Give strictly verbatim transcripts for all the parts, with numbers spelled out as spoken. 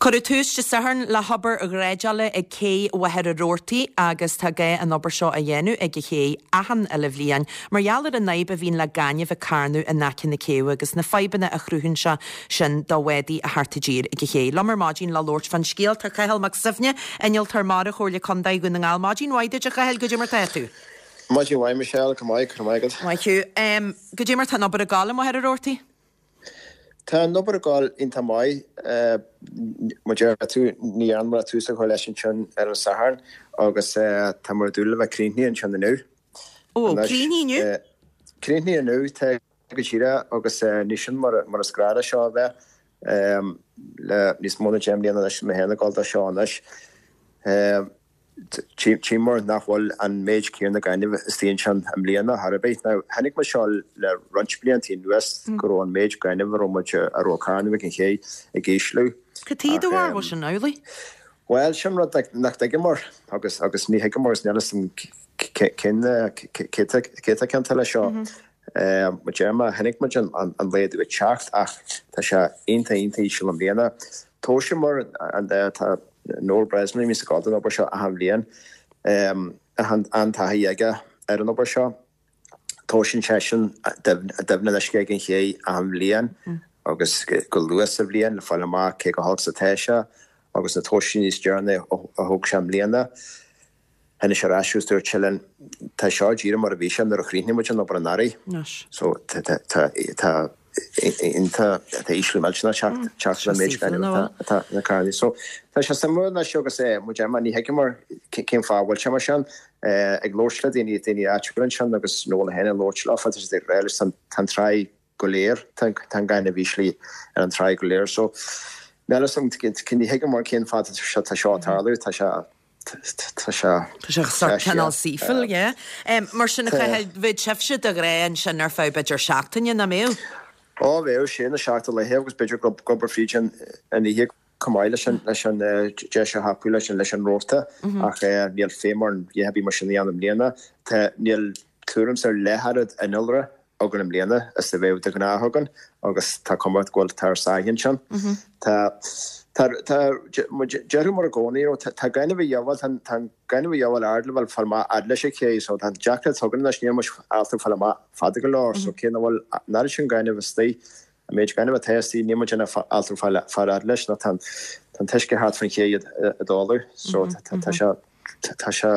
Cuireadh tús Dé Sathairn le hobair dhreideála ag cé Mhachaire Rabhartaigh agus tá gá an obair seo a dhéanamh ag an ché achan uile bhliain mar gheall ar an fhadhb a bhíonn le gaineamh ag carnadh in aice na céibhe agus na fadhbanna a chruthaíonn sé sin do bhádaí a theacht i dtír ag an ché. Liom ar maidin le labhairt fán scéal tá Cathal Mac Suibhne, innealtóir mara Chomhairle Contae Dhún na nGall. Maidin mhaith duit a Chathail, goidé mar tá tú. Maidin mhaith Michelle, go maith, go maith agat. Maith thú. Um, goidé mar tá an obair ag gabháil i Machaire Rabhartaigh? Tá an obair ag gabháil iontach maith mar a deir tú ní dhearnamar tús a chur leis ansin ar an Satharn agus tá muid ag dúil le bheith críochnaithe ansin inniu. Ó, críochnaithe inniu? Críochnaithe inniu tá go díreach agus ní sin mar mar is gnách seo a bheith le níos mó ná deich mbliana anois mé féin ag dul dó seo anois. Tchíomar nach bhfuil an méid céanna gainimh istigh ansin i mbliana thar ar bith. Now, chonaic muid seo le roinnt blianta anuas go raibh an méid gainimh a raibh muid a raibh ag carnadh ag an ché ag ísliú. Cad chuige a bhfuil sin amhlaidh? Bhuel, sin rud nach dtuigeamar agus agus ní thuigeamar is níl a fhios agam cén cé atá ciontach leis seo. Mar a deir mé, chonaic muid an laghdú ag teacht ach tá sé iontach iontach íseal i mbliana. Thomhaiseamar an tá Noel Breslin a bhíonns ag gabháil don obair seo achan bhliain. An-taithí aige ar an obair seo. Tomhaiseann seisean doimhne an uisce ag an ché achan bhliain agus go luath sa bhliain le fáil amach cé chomh holc is atá sé agus na tomhaisí níos deireanaí a thóg sé i mbliana. Tháinig sé ar ais agus dúirt sé linn, tá seo díreach mar a bhí sé nuair a chríochnaigh muid an obair anuraidh. So tá tá tá ísliú millteanach ag teacht ar an méid gainimh atá ag carnadh. So tá sé suimiúil anois agus mar a deir mé ní thuigeamar cén fáth a bhfuil sé mar sin. Ag labhairt le daoine daoine áitiúla ansin agus Noel féin ag labhairt leo tá siad ag rá leis tá an tráigh go léir tá an gaineamh íslithe ar an tráigh go léir. So níl a fhios agam ní thuigeamar cén fáth tá seo ag tarlú tá sé Tá sé. Tá sé sórt cineál saoithiúil, yeah. Mar sin, a Chathail, bheadh sibhse de ghnáth ansin ar feadh b'fhéidir seachtaine, nach mbeadh? Ó, bheadh, sé na seacht laethe agus b'fhéidir go ag obair fríd an oíche chomh maith leis an leis an deis a thapú leis an leis an róta ach níl feidhm orainn a dhath ar bith mar sin a dhéanamh i mbliana. Tá, níl tuairim is ar leath oiread innealra againn i mbliana is a bheadh de ghnáth againn agus tá cuma go bhfuil tá ár sáith ansin. Tá tá tá déarfadh mar i gcónaí you know tá gaineamh a dhíobháil tá tá an gaineamh a dhíobháil ard le bheith fáil amach fhad leis an ché so tá an deacracht againn anois níl muid ábalta fáil amach fada go leor so cé nach bhfuil an oiread sin gainimh istigh an méid gainimh atá istigh níl muid in ann ábalta fáil fáil fhad leis nó tá an tá an t-uisce thart fan ché ag dálú so tá sé Tá sé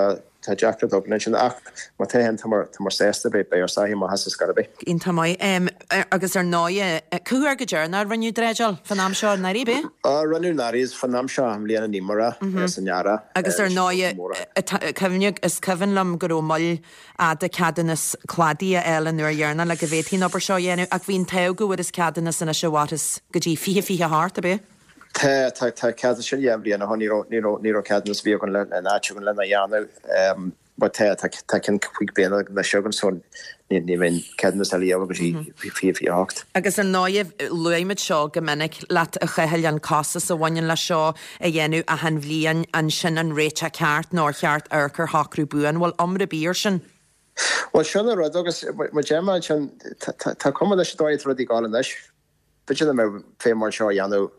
tá deacracht againn ansin ach má tá féin tá muid tá muid sásta beidh beidh ár sáith amach as ar scor ar bith. Iontach maith. Agus ar ndóighe, cá huair go deireanach a rinneadh dreideáil fán am seo anuraidh, ab ea? Á, rinneadh anuraidh is fán am seo i mbliana ní mar a san earrach. Agus ar ndóighe, cuimhne, is cuimhin liom go raibh moill fhada ceadúnas cladaigh a fháil an uair dheireanach le go bhféadfaí an obair seo a dhéanamh ach bhí an t-ádh go bhfuarthas ceadúnas anois a mhairfeas go dtí fiche fiche a hocht, ab ea? Tá, tá, tá ceadúnas sin dhá bhliain ó shin, ní raibh, ní raibh, ní raibh ceadúnas a bhí againn le, in áit againn lena dhéanamh. But tá, tá, tá ceann cúig bliana anois againn so ní, ní bheidh ceadúnas eile a dhíobháil go dtí fiche fiche a hocht. Agus ar ndóighe, luaigh muid seo go minic leat a Chathail, an costas a bhaineann leis seo a dhéanamh achan bhliain, an sin an réiteach ceart nó ar cheart amharc ar shocrú buan? Bhfuil iomrá ar bith air sin? Bhuel, sin an rud agus mar a deir mé ansin, tá, tá, tá cuma leis an dóigh atá rudaí ag gabháil anois. B'fhéidir nach mbeadh feidhm orainn seo a dhéanamh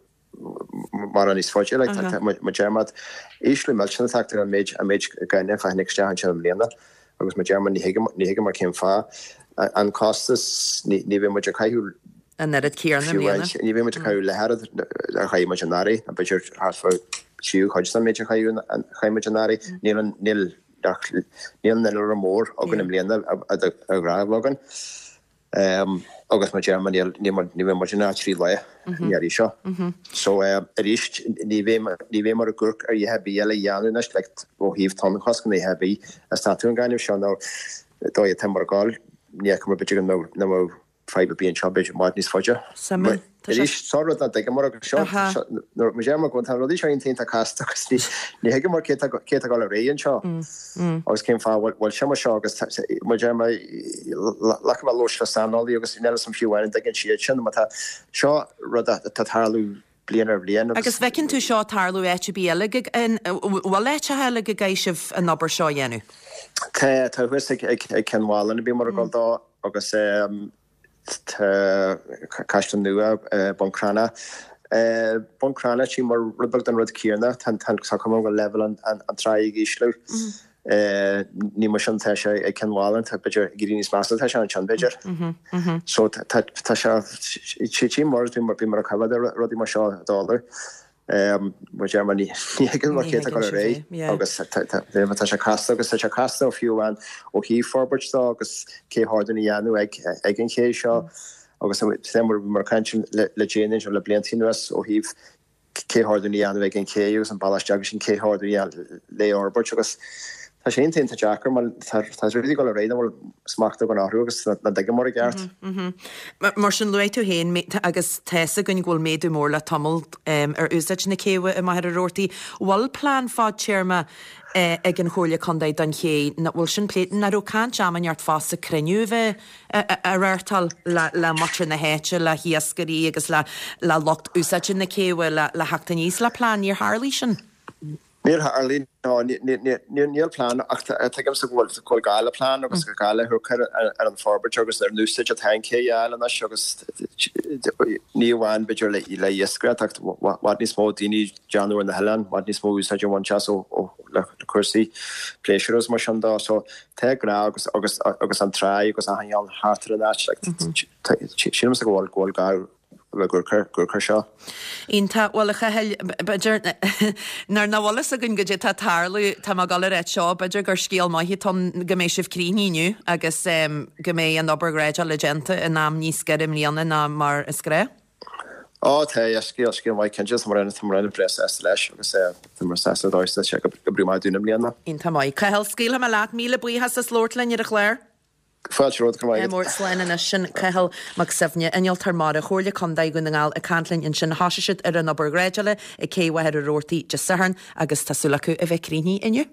mórán níos faide, like, mar a deir mé, ísliú millteanach ag teacht ar an méid, an méid gainimh a tháinig isteach ansin i mbliana agus mar a deir mé, ní thuigim, ní thuigeamar cén fáth. An costas, ní, ní bheidh muid ag caitheamh an oiread céanna i mbliana. Ní bheidh muid ag caitheamh leath oiread a chaith muid anuraidh, nó b'fhéidir thart fá tríú cuid den méid a chaith, chaith muid anuraidh. Níl an, níl, níl an innealra mór againn i mbliana a, a, a ghnách againn. Agus mar a deir mé níl ní bheidh muid in ann trí lá an iarraidh seo. So arís ní bheidh ní bheidh muid ag amharc ar a dhath ar bith eile a dhéanamh anois like ó thaobh tonnchosc nó a dhath ar bith ag stopadh an gaineamh seo nó dóigh atá muid ag gabháil ní fheiceann muid b'fhéidir go mbeadh nach mbeadh fadhb ar bith anseo b'fhéidir i bhfad níos faide. Suimiúil. Tá sé. Arís, seo rud nach dtuigeamar agus seo, nuair mar a deir mé go tá rudaí seo iontach iontach casta agus ní ní thuigeamar cé tá cé tá ag dul ar aghaidh anseo agus cén fáth bhfuil bhfuil sé mar seo agus mar a deir mé like mé ag labhairt le saineolaí agus níl fhios a'm fiú amháin an dtuigeann siad sin mar tá seo rud atá ag tarlú bliain ar bhliain agus. Agus bhfeiceann tú seo ag tarlú áit ar bith eile go bhfuil áiteacha eile go gcaithfidh sibh an obair seo a dhéanamh? Tá, tá thuas ag ag ag Cionn Mhálanna a bhíomar ag dul dó agus Tá Caisleán Nua, Bun Cranncha Bun Cranncha tchím rud beag den rud céanna, tá cuma go bhfuil leibhéal an tráigh ag ísliú. Ní mar sin atá sé ag Cionn Mhálanna, tá b'fhéidir ag éirí níos measa atá sé ansin b'fhéidir. So tá sé, tchím mar bhí mar a coimhéad ar rudaí mar seo ag tarlú. Mar deir mé ní thuigeann mar cé atá ag dul ar aghaidh agus tá sé casta agus tá sé casta fiú amháin ó thaobh forbairt dó agus cé hordú a dhéanamh ag an ché seo. Agus tá mar mar caint le déanaí anseo le blianta anuas ó thaobh cé hordú a dhéanamh ag an ché agus an bealach isteach sin cé hordú a dhéanamh le fhorbairt agus tá sé iontach iontach deacair mar tá tá rudaí ag dul ar aghaidh nach bhfuil smacht againn orthu agus nach dtuigeann i gceart. Mar sin luaigh tú féin agus tá fhios againn go bhfuil méadú mór le tamall ar úsáid na céibhe i Machaire Rabhartaigh. Bhfuil plean fadtéarma ag an Chomhairle Contae don ché, nach bhfuil sin pléite, nach raibh caint am inteacht fosta cruinniú a bheith á reáchtáil le muintir na háite, le hiascairí agus le le lucht úsáide na céibhe le le theacht aníos le plean, níor tharlaigh sin? Níor tharlaigh, no, níl plean ach tuigimse go bhfuil go bhfuil gá le plean agus go gá le cur ar an forbairt agus ar an úsáid atá an ché a fháil anois agus ní amháin b'fhéidir le le iascaireacht ach i bhfad níos mó daoine ag déanamh ar na hoileáin, i bhfad níos mó úsáid a bhaint as ó le cúrsaí pléisiúir agus mar sin dó. So tá gá agus agus agus an tráigh agus achan cheann thart ar an áit like sílimse go bhfuil go bhfuil gá le gur gur cur seo. Iontach. Bhuel a Chathail, b'fhéidir nuair nach bhfuil fhios againn goidé tá ag tarlú, tá mé ag dul a ráit seo, b'fhéidir gur scéal maith atá ann go mbeidh sibh críochnaithe inniu agus go mbeidh an obair ghrádála déanta in am níos giorra i mbliana ná mar is gnách. Ó tá, yeah, scéal, scéal maith cinnte, tá muid, tá muid breá sásta leis agus tá muid sásta dóigh is sé go oibreoidh maith dúinn i mbliana. Iontach maith. Cathal, scaoilfidh mé leat, míle buíochas as labhairt linn ar an chlár. Fáilte romhat, go raibh maith agat. Mór slán anois, sin Cathal Mac Suibhne, Innealtóir Mara, Chomhairle Contae Dhún na nGall ag caint linn ansin. Thosaigh siad ar an obair ghrádála ag Cé Mhachaire Rabhartaigh Dé Sathairn agus tá súil acu a bheith críochnaithe inniu.